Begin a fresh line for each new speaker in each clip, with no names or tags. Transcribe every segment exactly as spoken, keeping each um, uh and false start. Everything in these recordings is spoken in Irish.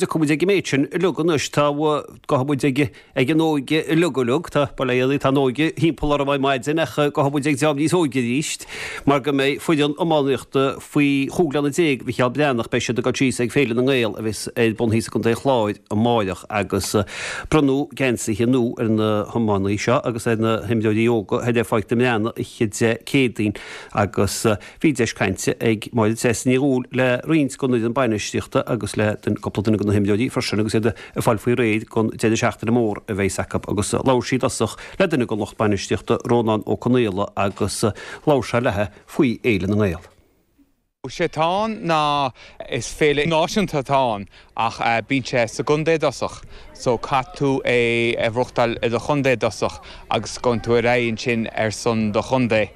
Tiocfaidh muid ag an méid sin uilig anois. Tá, gabhfaidh muid ag ag an óige uilig uilig. Tá, bail ó Dhia oraibh, tá an óige thimpeall orm ar maidin ach gabhfaidh muid ag dream níos óige arís mar go mbeidh foireann iománaíochta faoi chúig bliana déag Mhicheál Breathnach, beidh siad ag dul síos ag Féile na nGael a bheas ar bun thíos i gContae an Chláir amáireach agus bronnadh geansaithe nua ar na hiománaithe seo agus ar na himreoirí óga thoir ar Pháirc na mBreathnach oíche Dé Céadaoin agus bhí deis cainte ag Máire Treasa Ní Dhubhghaill le roinnt den fhoireann bainistíochta agus le cúpla duine de na himreoirí freisin agus iad ag fáil faoi réir don deireadh seachtaine mór a bheas acu agus labhair sí i dtosach le duine den lucht bainistíochta, Rónán Ó Conaola agus labhair sé léi faoi Fhéile na nGael.
Sé atá ann ná is féile náisiúnta atá ann ach bíonn sé sa gcontae i dtosach so caithfidh tú é a bhuachtáil i do chontae i dtosach agus gabhann tú ar aghaidh ansin ar son do chontae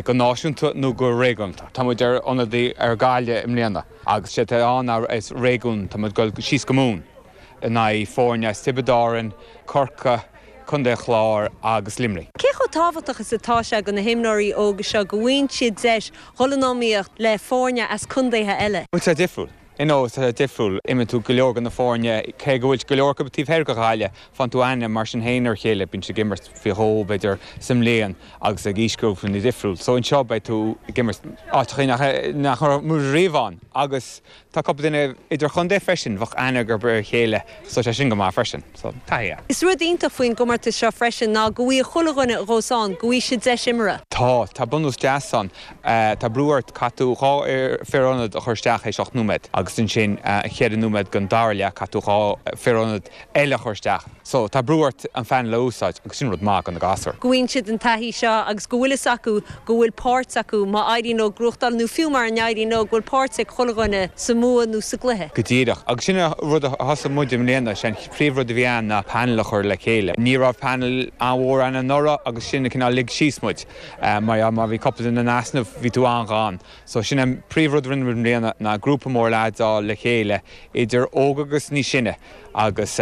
go náisiúnta nó go réigiúnta. Tá muid ar ionadaí ar Ghaillimh i mbliana agus sé atá ann ná is réigiún, tá muid ag dul síos go Mumhain in aghaidh foirne as Tiobraid Árann, Corcaigh, Contae an Chláir agus Luimnigh.
Cé chomh tábhachtach is atá sé do na himreoirí óga seo go bhfaigheann siad deis dhul in iomaíocht le foirne as contaetha eile?
Bhuel, tá sé difriúil. You know, tá sé difriúil. Imríonn tú go leor de na foirne, cé go bhfuil go leor acu taobh thoir de Ghaillimh, faigheann tú aithne mar sin féin ar a chéile, bíonn siad ag imirt faoi dhó, b'fhéidir, sa mbliain agus ag aoisghrúpanna difriúil. So anseo beidh tú ag imirt áiteachaí nach nach raibh muid riamh ann agus tá cúpla duine idirchontae freisin, bheadh aithne acu ar a chéile so sé sin go maith freisin. So taithí é.
Is rud iontach faoin gcomórtas seo freisin ná go bhfaighidh chuile dhuine a ghabhas ann, go bhfaighidh siad deis imeartha.
Tá, tá bunús deas ann. Tá brú ort, caithfidh tú dhá fhear ionaid a chur isteach théis ocht nóiméad agus ansin ceithre nóiméad den dara leath caithfidh tú dhá fear ionaid eile a chur isteach. So tá brú ort an phainéal a úsáid agus sin rud maith do na gasúir.
Go bhfaigheann siad an taithí seo agus go bhfuil fhios acu go bhfuil páirt acu má éiríonn leo gnóthachtáil nó fiú mara n-éiríonn leo go bhfuil páirt ag chuile dhuine sa mbua nó sa gcluiche.
Go díreach. Agus sin an rud a thosaigh muid i mbliana, sé an príomhrud a bhí ann ná painéal a chur le chéile. Ní raibh painéal an-mhór ann anuraidh agus sin a cineál lig síos muid. Mar má bhí cúpla duine in easnamh bhí tú an-ghann. So sin an príomhrud a rinne muid i mbliana ná grúpa mór leaids a fháil le chéile idir óg agus níos sine agus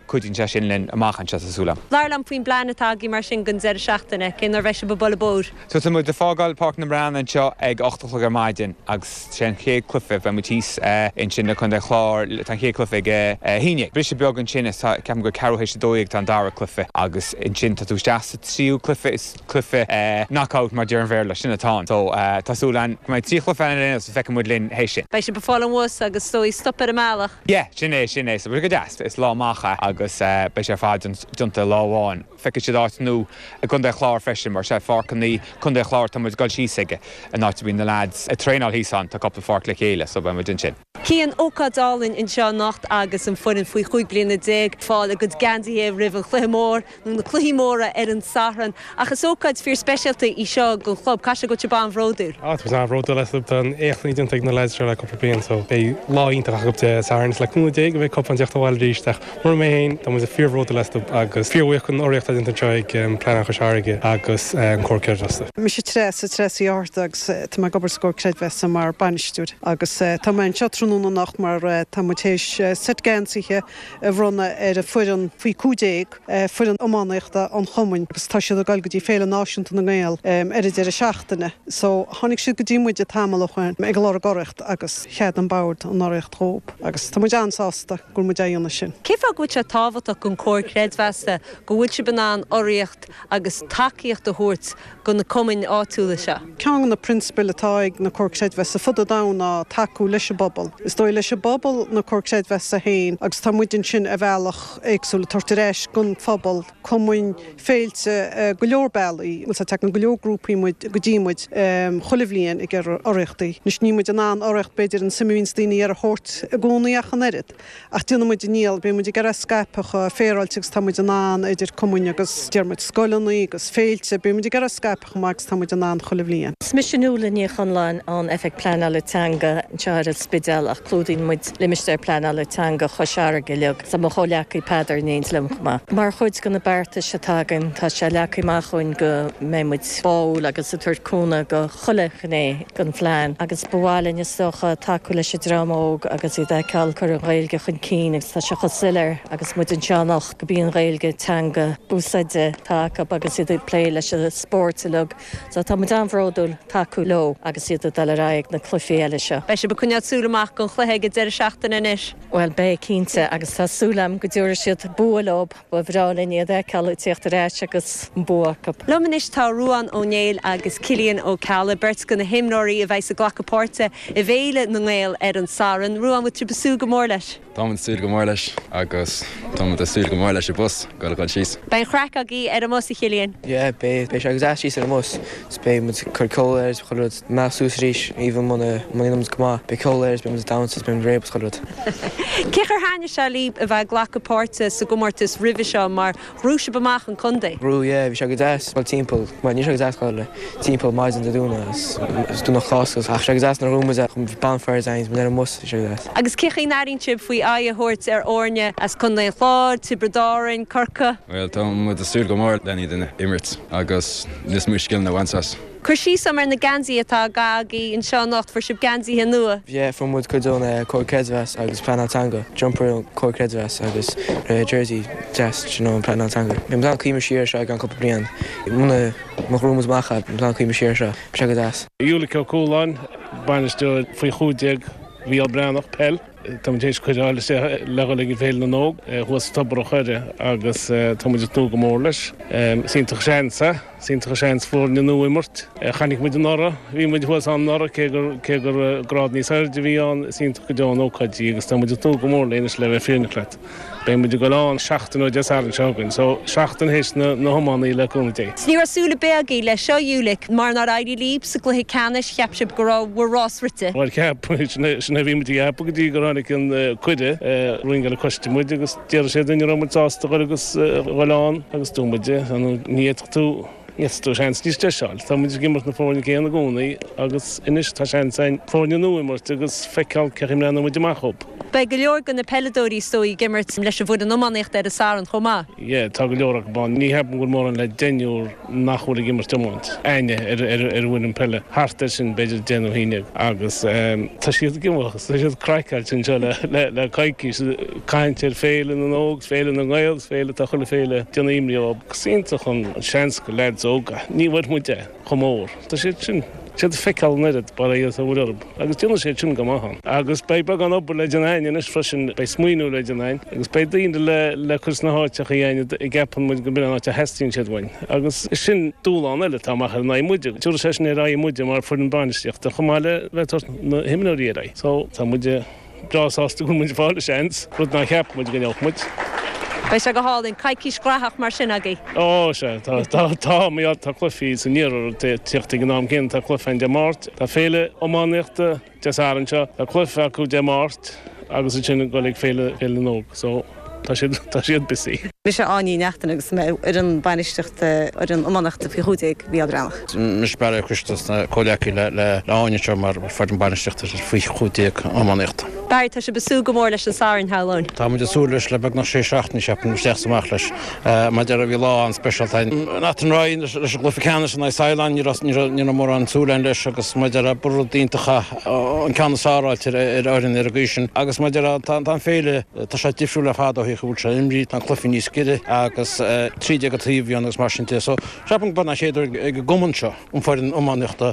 cuidíonn sé sin linn amach anseo tá súil agam.
Labhair liom faoin bplean atá agaibh mar sin don deireadh seachtaine, cén uair a bheidh sibh ag bualadh bóthair?
So tá muid ag fágáil Páirc na mBreathnach anseo ag ocht a chlog ar maidin agus sé an chéad cluiche, beidh muid thíos ansin i Contae an Chláir, tá an chéad cluiche ag a haon déag. Briseadh beag ansin is tá, ceapaim gur ceathrú théis a dó dhéag tá an dara cluiche agus ansin tá tú isteach sa tríú cluiche, is cluiche knockout mar deir an Bhéarla, sin atá ann. So tá súil againn go mbeidh trí chluiche ann ar aon nós, feicfidh muid linn théis sin.
Beidh sibh ag fáil an bhus agus is dóigh stop ar an mbealach.
Yeah, sin é, sin é. So beidh sé go deas. Is lá amach é agus beidh sé ar fad déanta i lá amháin. Feicfidh siad áit nua i gContae an Chláir freisin mar sé pháirceanna Contae an Chláir atá muid ag dul síos aige, an áit a mbíonn na lads ag traenáil thíos ann, tá cúpla pháirc le chéile so beidh muid ansin.
Cian, ócáid álainn anseo anocht agus an foireann faoi chúig bliana déag ag fáil a gcuid geansaithe roimh an chluiche mór nó na cluichí móra ar an Satharn. Ach is ócáid fíor speisialta í seo don chlub, caithfidh sé go bhfuil sibh an-bhródúil.
Á, tá muid an-bhródúil astu. Tá an-éacht déanta ag na lads seo le cúpla bliain so beidh lá iontach acu Dé Sathairn. Is le cúnamh Dé go mbeidh cupán ag teacht abhaile arís ach mura mbeidh féin, tá muid fíorbhródúil astu agus fíorbhuíoch den urraíocht atá déanta anseo ag Pleanáil Chois Fharraige agus an Comhar Creidmheasa.
Mise Treasa, Treasa Uí Fhátharta agus tá mé ag obair sa gComhar Creidmheasa mar bainisteoir agus tá mé anseo tráthnóna anocht mar tá muid théis seit geansaithe a bhronnadh ar an foireann faoi cúig déag, foireann iománaíochta an chumainn agus tá siad ag dul go dtí Féile Náisiúnta na nGael ar an deireadh seachtaine. So tháinig siad go dtí muid tamall ó shoin ag lorg urraíocht agus cheadaigh an bord an urraíocht dhóibh agus tá muid an-sásta go bhfuil muid á dhéanamh sin.
Cén fáth go bhfuil sé tábhachtach don Comhar Creidmheasa go bhfuil sibh in ann urraíocht agus tacaíocht a thabhairt do na cumainn áitiúla seo?
Ceann de na prionsabail atá ag na Comhair Creidmheasa fud an domhain ná tacú leis an bpobal. Is dóigh leis an bpobal na Comhair Creidmheasa féin agus tá muid ansin ar bhealach éagsúil ag tabhairt ar ais don phobal, cumainn, féilte, go leor bealaí. Bhuel, tagann go leor grúpaí muid go dtí muid chuile bhliain ag iarraidh urraíochtaí. Anois níl muid in ann urraíocht b'fhéidir an suim a bhíonns daoine ag iarraidh a thabhairt i gcónaí ach an oiread. Ach déanann muid ár ndícheall, bíonn muid ag iarraidh scaipeadh chomh féaráilte agus tá muid in ann idir cumainn agus deir muid scoileanna agus féilte, bíonn muid ag iarraidh scaipeadh chomh maith agus tá muid in ann chuile bhliain.
Is mise Nuala Ní Chonláin ón Oifig Pleanála Teanga anseo ar an Spidéal ach clúdaíonn muid limistéar pleanála teanga Chois Fharraige uilig. Tá mo chomhghleacaí Peadar in éindí liom chomh maith. Mar chuid de na beartais atá againn tá sé leagtha amach dhúinn go mbeidh muid báúil agus ag tabhairt cúnamh do chuile ghné den phlean agus ba mhaith linn is dócha tacú leis an dream óg agus iad a fheiceáil ag cur an Ghaeilge chun cinn agus tá sé chomh soiléir agus agus muid anseo anocht gurb í an Ghaeilge teanga úsáide atá acu agus iad ag plé leis an spórt uilig. So tá muid an-bhródúil tacú leo agus iad ag dul ar aghaidh na cluichí eile seo.
Beidh sibh ag coinneáil súil amach don chluiche ag an deireadh seachtaine anois.
Well beidh cinnte agus tá súil agam go dtabharfaidh siad bua leo ba bhreá linn iad a fheiceáil ag tíocht ar ais agus an bua acu.
Liom anois tá Ruán Ó Néill agus Cillian Ó Ceallaigh, beirt de na himreoirí a bheidh ag glacadh páirte i bhFéile na nGael ar an Satharn. Ruán bhfuil sibh ag súil go mór leis.
Táim ag súil go mór leis agus tá ag súil go mór leis an bus go go síos.
Beidh craic agaibh ar an mbus a Chillian.
Yeah, beidh beidh sé agus síos ar an mbus beidh muid cur ceol air chuile rud meas suas arís even muna muna go maith beidh ceol air beidh muid dance beidh réab chuile rud.
Cé gur thaitnigh sé libh a bheith ag glacadh páirte sa gcomórtas roimhe seo mar bhuaigh sibh amach an contae.
Brú yeah, bhí sé go deas well timpeall mar ní sé go deas le timpeall maidin de dúna is dúna chás ach sé go deas na rúma bonfires ein ar an mbus sé go deas.
Agus cé chaoi airíonn sibh faoi aghaidh a thabhairt ar fhoirne as Contae an Chláir, Tiobraid Árann, Corcaigh.
Well tá muid ag súil go mór le iad a imirt agus níos mó scileanna a bhaint as.
Cur síos ar na geansaithe atá agaibh anseo anocht fuair sibh geansaithe nua.
Yeah, fuair muid cuid ón Comhar Creidmheasa agus Pleanáil Teanga, jumper Comhar Creidmheasa agus jersey deas sin ón Pleanáil Teanga. Bhí an cuimime siar seo gan cúpla bliain. Muna mo rúmas macha an cuimime siar seo sé go deas.
Ulick Ó Cualáin, bainisteoir faoi chúig déag Mhícheál Breathnach peil. Tá tar éis cuireadh le le ag Féile na nÓg thuas Tobar an Choire agus tá muid ag tnúth go mór leis. Is iontach seans é, is iontach seans foirne nua imirt. Chonaic muid anuraidh, bhí muid thuas anuraidh cé gur cé gur grád níos airde a bhí ann is iontach go deo an ócáid agus tá muid ag tnúth go mór léis le bheith fírinneach leat. Beidh muid ag dul ann seachtain ó Dé Sathairn seo chugainn, so seachtain théis na na hiománaí le cúnamh Dé.
Ní raibh súil ar bith agaibh leis seo Ulick mar nár éirigh libh sa gcluiche ceannais cheap sibh go raibh bhur rás rite.
Well ceap sin a bhí muid ag ceapadh go dtí gur tháinig an cuireadh ringeáil coiste muid agus deir sé duine raibh muid sásta dul agus dul ann agus dúirt muid ní fhéadfadh tú ní tú seans níos deise a fháil. Tá muid ag imirt na foirne céanna i gcónaí agus anois tá seans againn foirne nua imirt agus feiceáil cé chaoi mbreathnóidh muid amach dhóibh.
Beidh go leor de na peileadóirí seo ag imirt leis an bhfoireann iománaíochta ar an Satharn chomh maith.
Yeah, tá go leor acu ann. Ní cheapaim go bhfuil mórán le deichniúr nach bhfuil ag imirt iomáint. Aine ar ar ar bhfuil an peile. Thart ar sin b'fhéidir deich nó haon déag agus tá siad ag imeacht, tá siad craiceáilte anseo le le le coicís caint ar Féile na nÓg, Féile na nGael, féile tá chuile féile déanamh imní ó. Is iontach an seans go lads óga. Ní bhfuair muid é chomh mór. Tá siad sin siad feiceáil an oiread bar a a bhfuil orthu. Agus déanann siad sin go maith ann. Agus beidh beagán obair le déanamh againn anois freisin beidh smaoineamh le déanamh againn, agus beidh daoine le le cur sna háiteacha againn a gceapann muid go mb'in an áit a theastaíonn siad uainn. Agus sin dúshlán eile atá amach ar an aghaidh muide. Tabharfaidh sé sin ar aghaidh muide mar foireann bainistíochta chomh maith le bheith ag tabhairt na himreoirí ar aghaidh. So tá muid breá sásta go bhfuil muid ag fáil seans, rud nár cheap muid go ngeobhadh muid.
Beidh sé go hálainn coicís ghnóthach mar sin agaibh.
Ó sé tá tá tá mé tá cluichí san iarthar teacht ag an am céanna tá cluiche Dé Máirt, Tá féile iománaíochta Dé Sathairn seo, tá cluiche acu Dé Máirt agus ansin ag dul ag féile féile na nÓg, so tá siad tá siad busy.
Mise Áine Ní Neachtain agus mé ar an bainistíochta ar an iománaíochta faoi chúig déag Mhícheál Breathnach.
Mise Barry Ó Coiste comhleacaí le le Áine seo mar foireann bainistíochta faoi chúig déag iománaíochta.
Barry tá sibh ag súil go mór leis an Satharn shamhlóinn.
Tá muid ag súil leis le beagnach sé seachtaine ceapaim isteach amach leis mar bhí lá an-speisialta an Ryan leis an gcluiche ceannais an Saileán ní ní mór an súlan leis agus mar rud iontach an ceann is fearr ar ar fhoireann ar an gcaoi sin agus mar tá an féile tá sé difriúil le fada ó bhfuil sé imrithe tá cluichí níos giorra agus trí déag an taobh agus mar sin de so ceapaim go an chéad ag an gcumann seo an foireann iománaíochta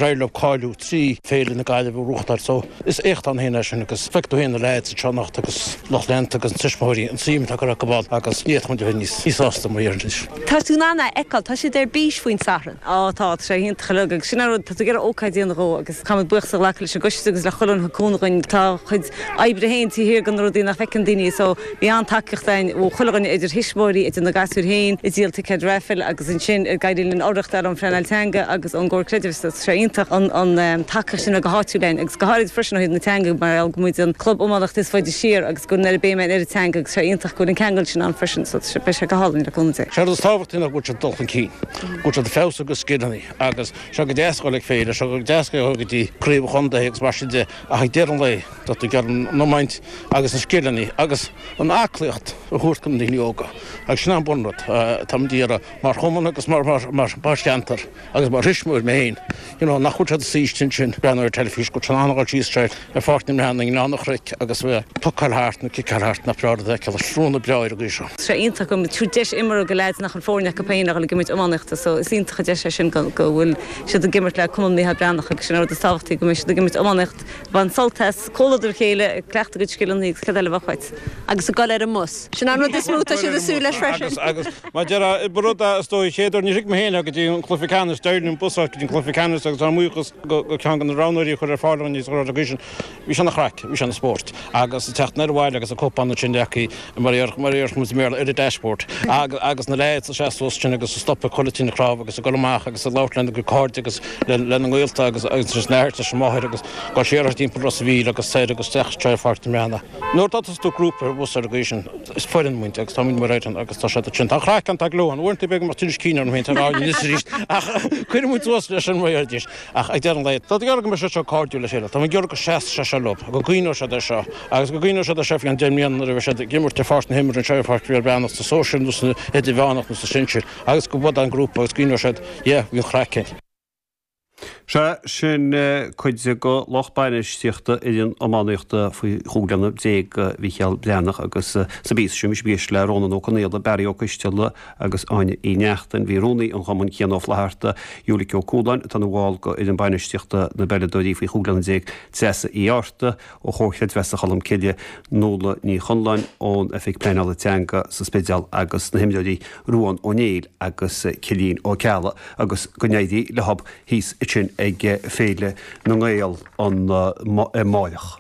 réile cáiliú trí féile na Gaillimhe reáchtáil so is éacht ann féin é sin agus feic tú féin na lads seo anocht agus lucht leanta agus an tuismitheoirí an suim atá curtha acu ann agus ní fhéadfadh muid a bheith níos níos sásta mar dhéarfainn.
Tá tú in ann a fheiceáil, tá siad ar bís faoin Satharn.
Á tá sé iontach agus sin rud tá tú ag ócáid déanamh dhó agus caithfidh buíochas a ghlacadh leis an gcoiste agus le chuile dhuine cúnamh againn tá chuid oibre féin taobh thiar de na rudaí nach bhfeiceann daoine so bhí an-tacaíocht againn ó chuile dhuine idir thuismitheoirí idir na gasúir féin ag díol ticéad raffle agus ansin ag éirí linn urraíocht ar an phleanáil teanga agus ón gComhar Creidmheasa sé iontach an an tacaíocht sin go háitiúil linn agus go háirid freisin ó thaobh na teanga mar go muid an club iománaíochta is faide siar agus go n-ar béim ar an teanga agus sé iontach go bhfuil an ceangal sin ann freisin so beidh sé go hálainn le cúnamh Dé.
Sé is tábhachtaí ná go bhfuil siad dul chun cinn, go bhfuil siad feabhas agus scileanna agus seo go deas le féile, seo go deas go dtí craobh chontae agus mar sin de ach ag deireadh an lae tá tú ag an iomáint agus na scileanna agus an aclaíocht a a thabhairt do na daoine óga. Agus sin an bunrud atá muid ag iarraidh mar chumann agus mar mar cheantar agus mar thuismitheoir mé féin. You know, nach bhfuil siad ag suí ansin ag breathnú ar teilifís, go bhfuil siad in ann a dhul síos ar Pháirc na mBreathnach i nGleann an Chnoic agus a bheith ag pucáil thart nó ciceáil thart nach breá rud a fheiceáil, srúnna breá ar an gcaoi seo.
Tá sé iontach go mbeidh deis imeartha ag leaids nach bhfuil foirne acu féin a dhul ag imirt iománaíochta so is iontach an deis é sin go bhfuil siad ag imirt le Cumann Micheál Breathnach agus sin an rud is tábhachtaí go mbeidh siad ag imirt iománaíocht ag baint sult as, comhluadar a chéile, ag cleachtadh a gcuid scileanna agus cad eile a bheadh uait.
Agus ag dul ar an mbus. Sin an rud is mó atá siad ag súil leis freisin.
Agus, agus mar deir ba rud é is dóigh chéad uair níor thuig mé féin é go dtí an cluiche ceannais, d'éirigh linn bus a fháil go dtí an cluiche ceannais agus ár mbuíochas go ceann de na roghnóirí a chuir ar fáil dúinn níos rud agaibh sin. Bhí sé ina chraic, bhí sé ina spórt. Agus ag teacht anoir abhaile agus an cupán ansin leagtha mar a déarfadh muid i mBéarla ar an dashboard. Agus na leaids ag seasamh suas ansin agus ag stopadh chuile tine chnámh agus ag dul amach agus ag labhairt lena gcuid cairde agus lena ngaolta agus leis an athair leis an máthair agus dul siar timpeall Ros a' Mhíl agus soir agus isteach ar Pháirc na mBreathnach. Nuair atá tú grúpa ar bhus ar an gcaoi sin, is foireann muid agus tá muid mar fhoireann agus tá siad ansin. Tá an chraic ann, tá gleo ann. Uaireanta b'fhéidir go mbeadh tinneas cinn orm féin tá anois arís ach cuireann muid suas leis an mar arís. Ach ag deireadh an lae, tá ag iarraidh go mbeidh siad seo cairdiúil le chéile. Tá mé ag iarraidh go seasfaidh sé seo leo, go gcuimhneoidh siad air seo agus go gcuimhneoidh siad air seo faoi cheann deich mbliana nuair a bheidh siad ag imirt ar pháirc na himeartha anseo ar Pháirc Mhicheál Breathnach sa sóisir nó san idirmheánach nó sa sinsir agus go bhfad an grúpa agus go gcuimhneoidh siad, yeah, bhí an chraic ann.
Sea, sin cuid de lucht bainistíochta fhoireann iománaíochta faoi chúig bliana déag Mhicheál Breathnach agus sa bpíosa sin bhí sibh ag éisteacht le Rónán Ó Conaola, Barry Ó Coisteala agus Áine Uí Neachtain. Bhí rúnaí an chumainn Cian Ó Flatharta, Ulick Ó Cualáin atá ina bhall de fhoireann bainistíochta na bpeileadóirí faoi chúig bliana déag, Treasa Uí Fhátharta ó Chomhar Creidmheasa Cholmcille, Nuala Ní Chonláin ón Oifig Pleanála Teanga sa Spidéal agus na himreoirí Ruán Ó Néill agus Cillian Ó Ceallaigh agus go n-éirí leo thíos ansin ag Féile na nGael an amárach.